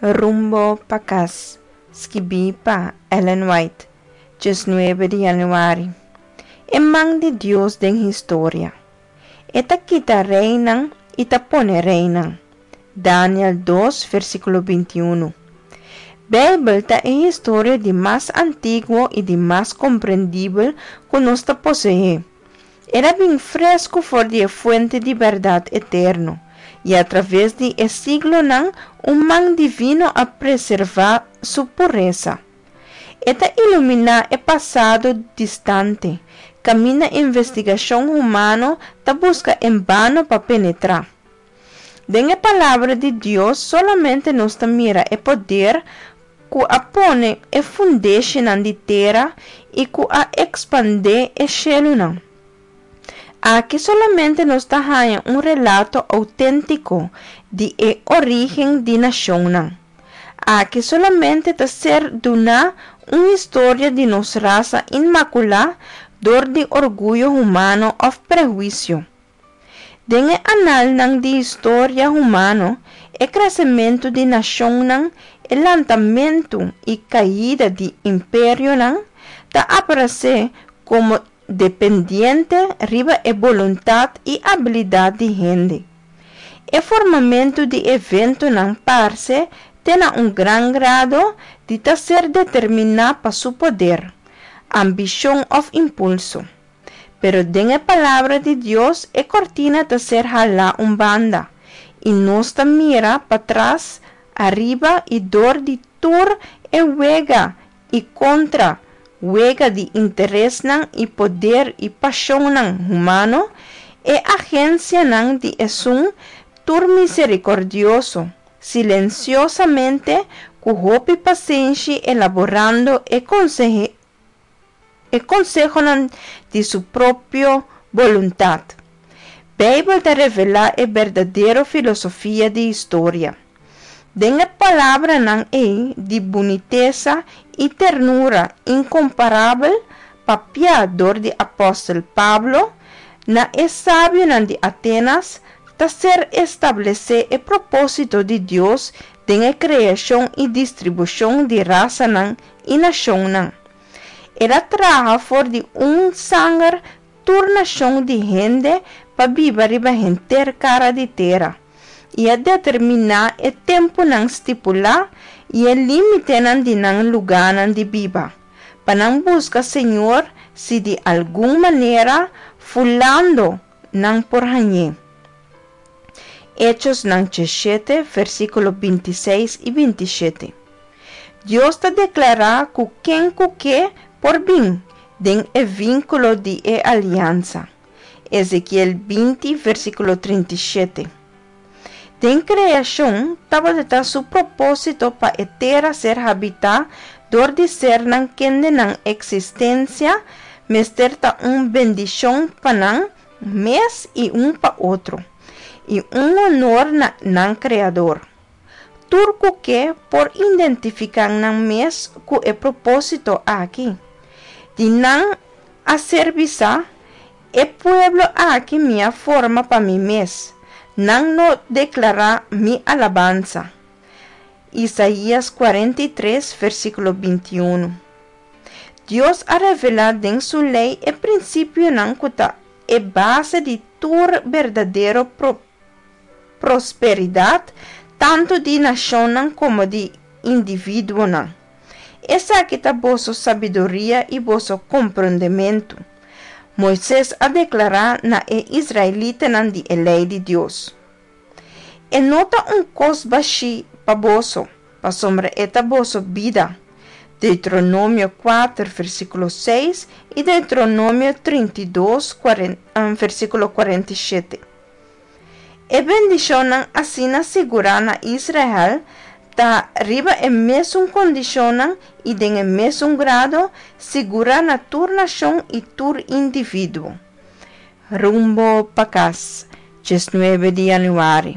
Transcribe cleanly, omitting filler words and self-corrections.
Rumbo pa kas, skibí pa Ellen White, 19 di yanüari. E man di Dios den historia. E ta kita reinan i ta pone reinan. Daniel 2, versíkulo 21. Beibel ta e historia di mas antiguo i di mas komprendibel ku nos ta poseé. El a bin fresku for di e fuente di bèrdat eterno, i atraves di e siglonan un man divino a preservá su puresa. E ta iluminá e pasado distante, kaminda investigashon humano ta buska enbano pa penetrá. Den e Palabra di Dios solamente nos ta mira e poder ku a pone e fundeshinan di tera i ku a ekspandé e shelunan. Aki solamente nos ta haña un relato outéntiko di e orígen di nashonnan. Aki solamente ta ser duná un historia di nos rasa inmakulá dor di orguyo humano òf prehuisio. Den e analnan di historia humano, e kresementu di nashonnan, e lantamentu i kaida di imperionan, ta aparesé komo dependiente riba e boluntat i abilidat di hende. E formamentu di eventonan parse te na un gran grado di ta ser determiná pa su poder, ambishon òf impulso. Pero den e Palabra di Dios e kortina ta ser halá un banda, i nos ta mira patras, ariba i dor di tur e wega i kontra wega di interesnan i poder i pashonnan humano, e agensianan di Esun tur miserikordioso, silensiosamente ku hopi pasenshi elaborando e e konsehonan di su propio boluntat. Beibel ta revelá e berdadero filosofia di historia. Den e palabranan ei di bunitesa i ternura inkomparabel papiá dor di apòstel Pablo na e sabionan di Atenas ta ser establesé e propósito di Dios den e kreashon i distribushon di rasanan i nashonnan. El a traha for di un sanger tur nashon di hende pa biba riba henter kara di tera, i a determiná e tempunan stipulá i e límitenan di nan lugánan di biba, pa nan buska Señor si di algun manera fulando nan por hañ'é. Echosnan 17, versíkulo 26 i 27. Dios ta deklará ku ken ku ke por bin den e vínkulo di e aliansa. Ezekiel 20, versíkulo 37. Den kreashon tabata su propósito pa e tera ser habitá dor di sernan kende nan eksistensia mester ta un bendishon pa nan mes i un pa otro, i un honor na nan Kreador. Tur ku ke por identifiká nan mes ku e propósito aki. Di nan a ser bisá, E pueblo aki mi a forma pa mi mes, nan lo deklará mi alabansa. Isaías 43, versíkulo 21. Dios a revelá den su lei e prinsipionan ku ta e base di tur berdadero prosperidat, tantu di nashonnan komo di individuonan. Esaki ta boso sabiduria i boso komprondementu, Moises a deklará na e israelitanan di e Lei di Dios. E no ta un kos bashí pa boso, pasobra e ta boso bida. Deuteronomio 4, versíkulo 6 i Deuteronomio 32, versíkulo 47. E bendishonnan asina sigurá na Israel ta riba e mesun kondishonnan i den e mesun grado sigurá na tur nashon i tur individuo. Rumbo pa kas, 19 di yanüari.